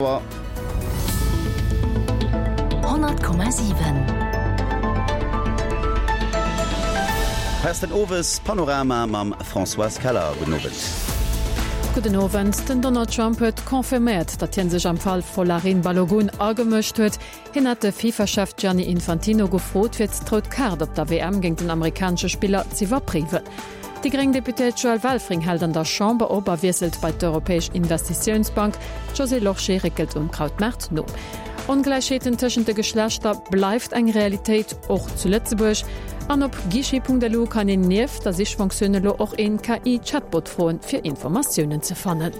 100,7. Hei ass den Owes-Panorama mam Françoise Keller. Gudden Owend. Gudden Owend. Den Donald Trump huet confirméiert, datt hie sech am Fall Folarin Balogun agemëscht huet. Hien hat de FIFA-Chef Gianni Infantino gefrot, fir d'rout Kaart op der WM géint den amerikanesche Spiller z'iwwerpréiwen. Déi gréng Deputéiert Joëlle Welfring hält an der Chamber op a wiesselt bei d'Europäesch Investitiounsbank. D'Josée Lorsché réckelt um Krautmaart no. Ongläichheeten tëschent de Geschlechter bleift eng Realitéit, och zu Lëtzebuerg. An op guichet.lu kann een nieft der Sichfonktioun elo och een KI-Chatbot froen, fir Informatiounen ze fannen.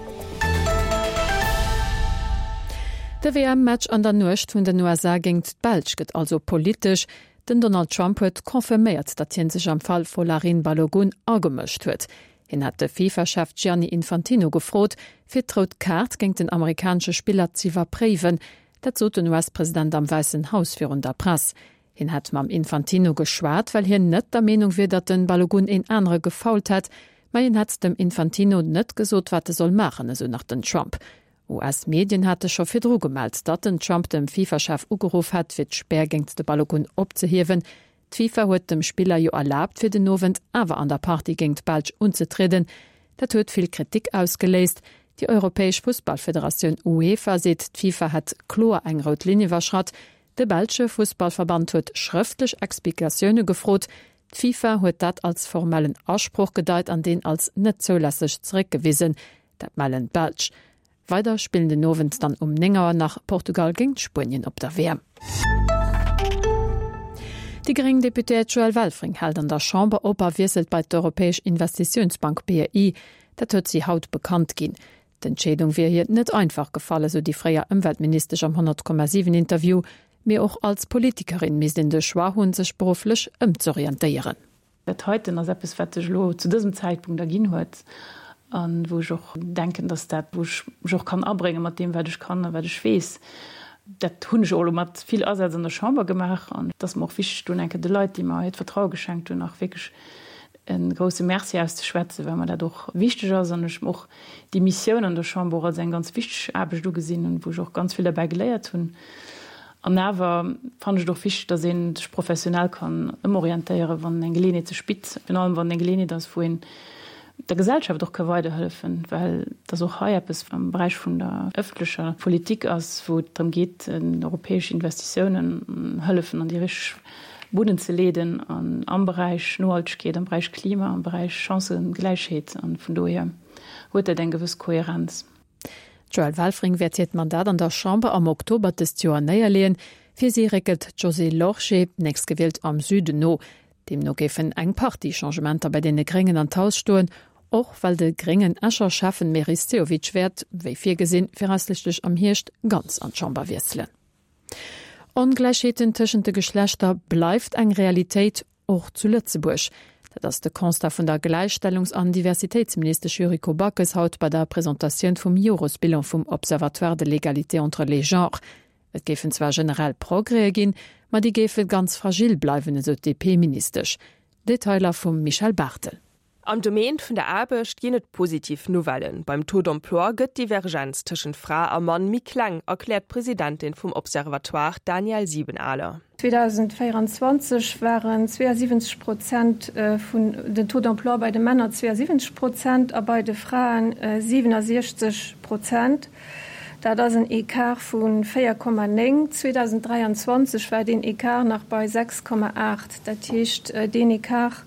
De WM-Match an der Nuecht vun den USA géingt d'Belsch gëtt also politesch. Den Donald Trump huet confirméiert, datt hie sech am Fall Folarin Balogun agemëscht huet. Hien hat de FIFA-Chef Gianni Infantino gefrot, fir d'rout Kaart géingt den amerikanesche Spiller z'iwwerpréiwen. Dat sot den US-President am Wäissen Haus virun der Press. Hien hätt mam Infantino geschwat, well hien net der Meenung wier, datt den Balogun een anere gefoult hätt. Mä hien hätt dem Infantino net gesot, wat e soll maachen, esou nach den Trump. US-Medien hate scho virdru gemellt, datt den Trump dem FIFA-Chef ugeruff hätt, fir d'Spär géingt de Balogun opzehiewen. D'FIFA huet dem Spiller jo erlaabt, fir den Owend awer an der Partie géingt d'Belsch unzetrieden. Dat huet vill Kritik ausgeléist. Déi europäesch Fussballfederatioun UEFA seet, d'FIFA hätt kloer eng rout Linn iwwerschratt. De belsche Fussballverband huet schrëftlech Explikatioune gefrot. D'FIFA huet dat als formellen Asproch gedeit an deen als net zoulässeg zeréckgewisen. Dat mellen d'Belsch. Weider spillen den Owend dann um 9 Auer nach Portugal géingt Spuenien op der WM. Déi gréng Deputéiert Joëlle Welfring hält an der Chamber op a wiesselt bei d'Europäesch Investitiounsbank BEI. Dat huet si haut bekannt ginn. D'Entscheedung wier hir net einfach gefall, esou déi fréier Ëmweltministesch am 100,7 Interview. Mee och als Politikerin misst een de Choix hunn, sech berufflech ëmzorientéieren. Dat heiten ass eppes, wat sech elo zu dësem Zäitpunkt erginn huet a wou ech och denken, dass dat, wou ech mech och kann abrénge mat deem, wat ech kann a wat ech weess, dat hunn ech och elo mat vill Asaz an der Chamber gemaach. An et ass mer och wichteg, do eng Kéier de Leit, déi mer hiert Vertraue geschenkt hunn, nach wierklech e grouse Merci auszeschwätzen, well mer dat och wichteg ass an ech och déi Missioun an der Chamber och als eng ganz wichteg Aarbecht ugesinn hunn, wou ech och ganz vill derbäi geléiert hunn. An awer fannen ech et och wichteg, dass ee sech professionell kann ëmorientéieren, wann eng Geleeënheet sech bitt, virun allem wann et eng Geleeënheet ass, wou een der Gesellschaft och ka weiderhëllefen, well dass och hei eppes am Beräich vun der ëffentlecher Politik ass, wou et drëm geet, europäesch Investitiounen hëllefen an déi richteg Bunnen ze leeden an am Beräich Nohaltegkeet, am Beräich Klima, am Beräich Chancëgläichheet. An vun dohier huet dat eng gewëss Kohärenz. D'Joëlle Welfring wäert hiert Mandat an der Chamber am Oktober dëst Joer néierleeën. Fir si réckelt d'Josée Lorsché, nächstgewielt am Süden, no. Deemno géifen eng Partie Changementer bei deene Gréngen an d'Haus stoen, och well de gréngen Escher Schäffen Meris Sehovic wäert, wéi virgesinn, viraussichtlech am Hierscht ganz an d'Chamber wiesselen. Ongläichheeten tëschent de Geschlechter bleift eng Realitéit, och zu Lëtzebuerg. Dat ass de Constat vun der Gläichstellungs an Diversitéitsministesch Yuriko Backes haut bei der Presentatioun vum Joresbilan vum Observatoire de l'égalité entre les genres. Et géifen zwar generell Progrèse ginn, ma déi géife ganz fragil bleiwen, esou d'DP-Ministesch. Detailer vum Michèle Barthel. Am Domaine vun der Aarbecht ginn et positiv Nouvellen. Beim Taux d'emploi gëtt d'Divergenz tëschent Fra a Mann méi kleng, erkläert d'Presidentin vum Observatoire Danièle Siebenaler. 2024 waren 72 Prozent vun den Taux d'emploi bei de Männer 72 Prozent a bei de Fraen 67 Prozent. Dat ass en Ecart vu 4,9. 2023 war deen Ecart nach bei 6,8. Dat heescht, deen Ecart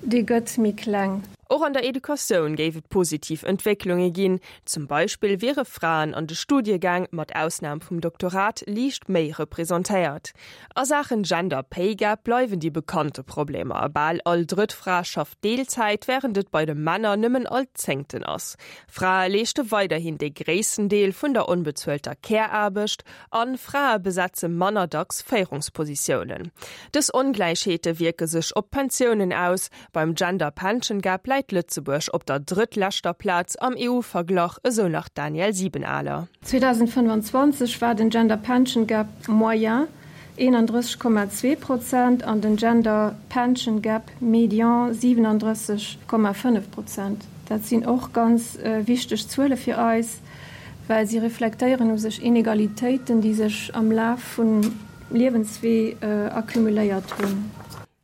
Dee gëtt méi kleng. Och an der Educatioun géif et positiv Entwécklunge ginn. Zum Beispill wiere Fraen an de Studiegäng, mat Ausnam vum Doktorat, liicht méi representéiert. A Saachen Gender Pay Gap bleiwen déi bekannte Problemer, Bal all drëtt Fra schafft Deelzäit, wärend et bei de Männer nëmmen all zéngten ass. Frae leeschte weiderhin dee gréissten Deel vun der onbezuelter Care-Aarbecht an Frae besetze manner dacks Féierungspositiounen. Dës Ongläichheete wierke sech op d'Pensiounen aus. Beim Gender Pension Gap läit Lëtzebuerg op der drëttleschter Plaz am EU-Verglach, esou nach d'Danièle Siebenaler. 2025 war den Gender Pension Gap moyen 31,2 Prozent an den Gender Pension Gap médian 37,5 Prozent. Dat sinn och ganz wichteg Zuele fir eis. well si reflektéieren u sech Inegalitéiten, déi sech am Laf vum Liewenswee accumuléiert hunn.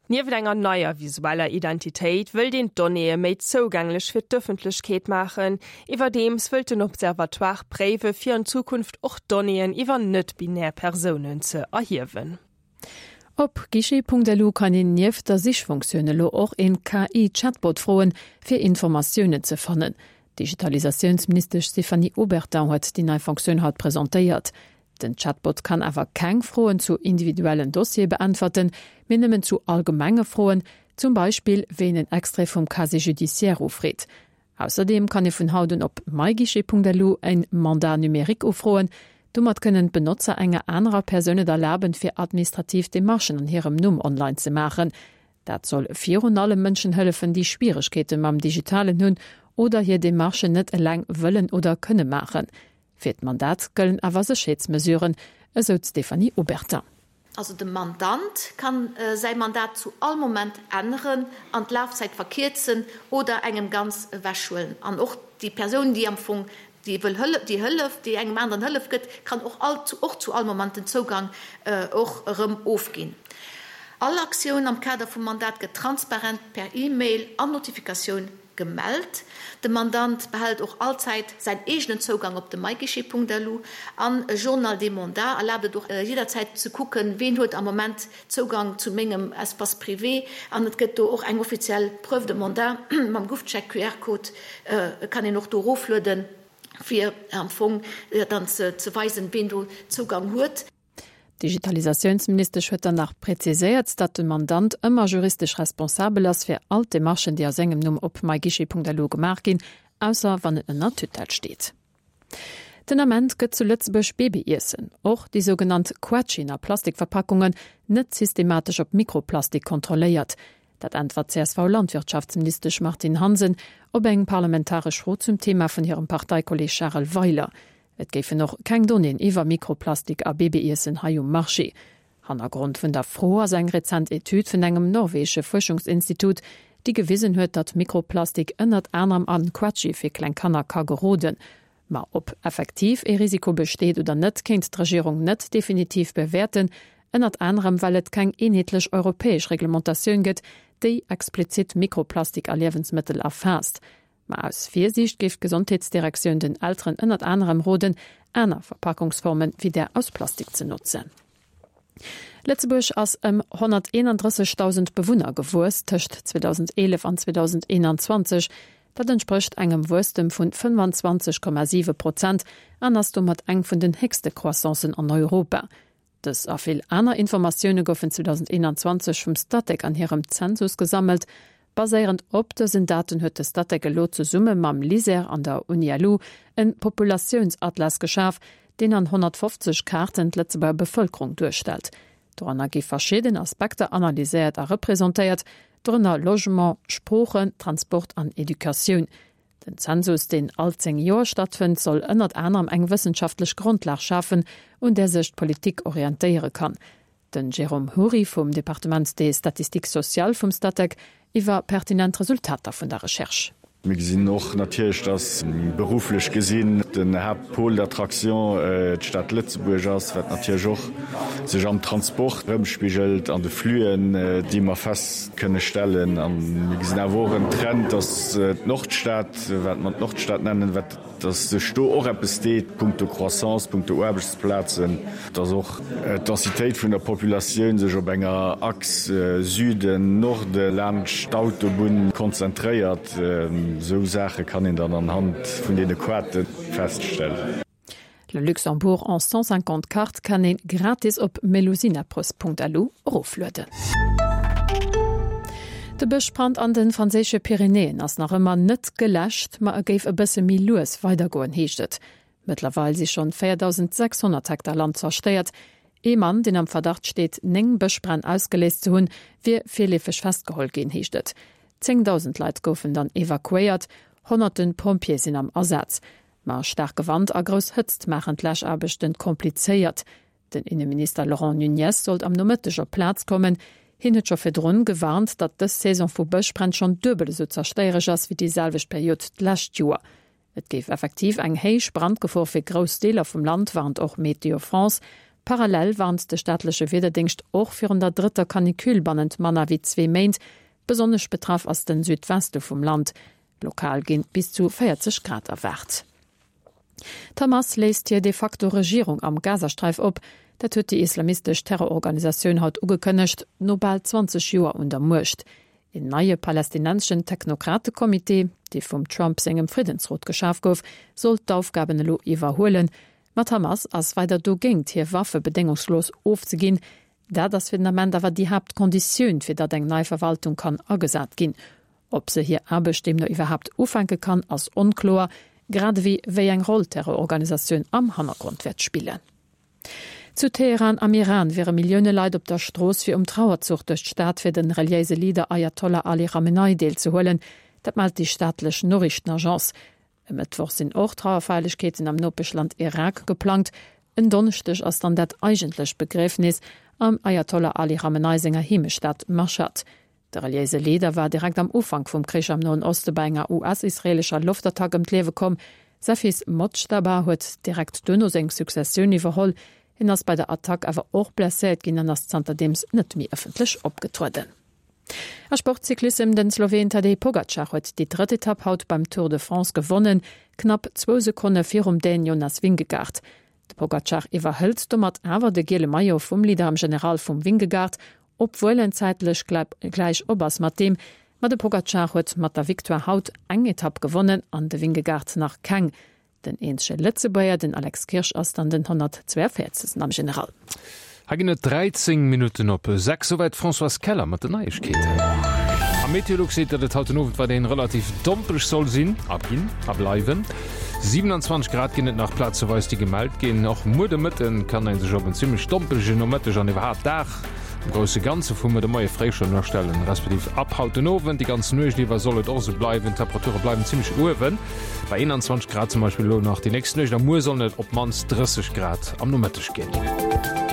Nieft enger neier visueller Identitéit wëllt een d'Donnéeë méi zougänglech fir d'Ëffentlechkeet maachen. Iwwerdeems wëllt den Observatoire préiwe fir an Zukunft och Donnéeën iwwer net-binär Persounen ze erhiewen. Op guichet.lu kann een nieft der Sichfunktioun elo och een KI-Chatbot froen, fir Informatiounen ze fannen. D'Digitalisatiounsministesch Stéphanie Obertin huet déi nei Funktioun haut presentéiert. Den Chatbot kann awer keng Froen zu individuellen Dossiere beäntwerten, mee nëmmen zu allgemenge Froen, zum Beispill wéi een en Extrait vum Casier judiciaire ufreet. Ausserdeem kann ee vun haut un op myguichet.lu en Mandat numérique ufroen. Domat kënnen d'Benotzer enger anerer Persoun et erlaben, fir administrativ Demarchen an hirem Numm online ze maachen. Dat soll virun allem Mënschen hëllefen, déi Schwieregkeete mam Digitalen hunn oder hir Demarchen net eleng wëllen oder kënne maachen. Fir d'Mandat gëllen awer Sécherheetsmesuren, esou d'Stéphanie Obertin. Also de Mandant kann säi Mandat zu all Moment änneren an d'Lafzäit verkierzen oder engem ganz ewechhuelen. An och déi Persoun, déi am Fong déi wëll hëllef, déi hëlleft, déi engem aneren Hëllef gëtt, kann och all, och zu all Moment den Zougang och erëm ofginn. All Aktioun am Kader vum Mandat gëtt transparent per E-Mail an Notifikatioun Gemellt. De Mandant behält och allzäit säin eegenen Zougang op de myguichet.lu an e Journal des mandats erlaabt et och jidderzäit ze kucken, ween huet am Moment Zougang zu mengem Espace privé an et gëtt do och eng offiziell Preuve de mandat mam GouvCheck QR-Code kann een och do eroflueden, fir am Fong dann ze weisen, ween do Zougang huet. D'Digitalisatiounsministesch huet dann nach präziséiert, datt de Mandant ëmmer juristesch responsabel ass fir all d'Demarchen, déi a sengem Numm op myguichet.lu gemaach ginn, ausser wann en ënner Tutelle steet. Den Ament gëtt zu Lëtzebuerg Babyiessen, och déi sougenannt Quetschen a Plastikverpackungen, net systematesch op Mikroplastik kontrolléiert. Dat äntwert d'CSV-Landwirtschaftsministesch Martine Hansen op eng parlamentaresch Fro zum Thema vun hirem Parteikolleeg Charel Weiler. Et géifen och keng Donnéeën iwwer Mikroplastik a Babyiessen hei um Marché. Hannergrond vun der Fro ass eng rezent Etüd vun engem norwegesche Fuerschungsinstitut, déi gewisen huet, datt Mikroplastik ënnert anerem a Quetschi fir kleng Kanner ka geroden. Ma ob effektiv ee Risiko besteet oder net, kéint d'Regierung net definitiv bewäerten, ënnert anerem well et keng eenheetlech europäesch Reglementatioun gëtt, déi explizit Mikroplastik a Liewensmëttel erfaasst. Ma aus Virsiicht géif d'Gesondheetsdirektioun den Elteren ënnert anerem roden, aner Verpackungsforme wéi där aus Plastik ze notzen. Lëtzebuerg ass ëm 131.000 Bewunner gewuess tëscht 2011 an 2021. Dat entsprécht engem Wuesstem vun 25,7 Prozent an ass domat eng vun den héchste Croissancen an Europa. Dës a vill aner Informatioune goufen 2021 vum Statec an hirem Zensus gesammelt. Baséierend op dësen Daten huet de Statec elo zesumme mam LISER an der UniLu en Populatiounsatlas geschaf, deen an 150 Kaarten d'Lëtzebuerger Bevëlkerung duerstellt. Doranner gi verschidden Aspekter analyséiert a representéiert, dorënner Logement, Sproochen, Transport an Educatioun. Den Zensus, deen all 10 Joer stattfënnt, soll ënnert anerem eng wëssenschaftlech Grondlag schafen, un där sech d'Politik orientéiere kann. Den Jérôme Houry vum Departement des statistiques sociales vum Statec iwwer pertinent Resultater vun der Recherche. Mir gesinn och natierlech, dass berufflech gesinn den Haaptpôle d'attraction d'Stad Lëtzebuerg ass, wat natierlech och sech am Transport erëmspigelt, an de Flüen, déi mer fest kënne stellen. A mir gesinn awer och en Trend, dass d'Nordstad, wat mer d'Nordstad nennen, wat, dass sech do och eppes deet punkto Croissance, punkto Aarbechtsplazen, dass och d'Densitéit vun der Populatioun sech op enger Achs Süden-Norde laanscht d'Autobunn konzentréiert. Esou Saache kann een dann anhand vun deene Quarte feststellen. Le Luxembourg en 150 cartes kann een gratis op melusinapress.lu eroflueden. De Bëschbrand an de franséische Pyrenäen ass nach ëmmer net geläscht, ma e géif e bësse méi lues weidergoen, heescht et. Mëttlerweil si schonn 4.600 Hektar Land zerstéiert. Ee Mann, deen am Verdacht steet, 9 Bëschbränn ausgeléist ze hunn, wier virleefeg festgeholl ginn, heescht et. 10.000 Leit goufen dann evakuéiert, honnerte Pompjeeë sinn am Asaz. Ma staarke Wand a grouss Hëtzt maachen d'Läschaarbechten komplizéiert. Den Inneminister Laurent Nunez sollt am Nomëtteg op d'Plaz kommen. Hien huet scho virdrun gewarnt, datt dës Saison vu Bëschbränn schonn duebel esou zerstéiereg ass wéi déi selwecht Period d'lescht Joer. Et géif effektiv eng héich Brandgefor fir grouss Deeler vum Land, warnt och Météo France. Parallel warnt de staatleche Wiederdéngscht och virun der drëtter Canicule bannent manner wéi zwee Méint. Besonnesch betraff ass den Südweste vum Land. Lokal ginn bis zu 40 Grad erwaart. D'Hamas léist hir de facto Regierung am Gazasträif op. Dat huet déi islamistesch Terrororganisatioun haut ugekënnegt, no bal 20 Joer un der Muecht. Een neie palästinenseschen Technokrate-Comité, dee vum Trump sengem Friddensrot geschaf gouf, soll d'Aufgaben elo iwwerhuelen. Ma d'Hamas ass weider dogéint, hir Waffe bedéngungslos ofzeginn. Dat ass fir den Ament awer déi Haaptkonditioun, fir datt eng nei Verwaltung kann agesat ginn. Ob se hir Aarbecht deemno iwwerhaapt ufänke kann, ass onkloer, grad ewéi wéi eng Roll d'Terrororganisatioun am Hannergrond wäert spillen. Zu Teheran am Iran wiere Millioune Leit op der Strooss, fir um Trauerzuch duerch d'Stad fir de reliéise Leader Ayatollah Ali Khamenei deelzehuelen. Dat mellt déi staatlech Noriichtenagence. E Mëttwoch sinn och Trauerfeierlechkeeten am Nopeschland Irak geplangt. En Donneschdeg ass dann dat eigentlecht Begriefnis am Ayatollah Ali Khamenei senger Heemechtsstad Mashhad. De reliéise Leader war direkt am Ufank vum Krich am Noen Oste bei enger US-israeelescher Loftattack ëm d'Liewe komm. Säi Fils Mojtaba huet direkt duerno seng Successioun iwwerholl. Hien ass bei der Attack awer och blesséiert ginn an ass zanterdeems net méi ëffentlech opgetrueden. A Sport, Cyclissem, Den Sloween Tadej Pogacar huet déi drëtt Etapp haut beim Tour de France gewonnen, knapp zwou Sekonne virum Dän Jonas Vingegaard. De Pogacar iwwerhëlt domat awer de giele Maillot vum Leader am General vum Vingegaard, obwuel en zäitlech gläich op ass mat deem. Ma de Pogacar huet mat der Victoire haut eng Etapp gewonnen an de Vingegaard nach keng. Den eenzege Lëtzebuerger, den Alex Kirsch, ass dann den 142. am General. Hei ginn et 13 Minutten op 6. Souwäit d'Françoise Keller mat den Neiegkeeten. A Meteolux seet, datt et haut den Owend weiderhin relativ dompeg soll sinn a ginn a bleiwen. 27 Grad ginn et nach plazeweis, déi gemellt ginn. Och muer de Mëtte kann ee sech op en zimmlech dompege Nomëtteg an iwwerhaapt Dag am grousse Ganze vu muer de Moie fréi schonn astellen, respektiv ab haut den Owend. Déi ganz Nuecht iwwer soll et och esou bleiwen. D'Temperature bleiwen zimmlech uewen, bei 21 Grad zum Beispill elo nach déi nächst Nuecht a muer sollen et op d'mannst 30 Grad am Nomëtteg ginn.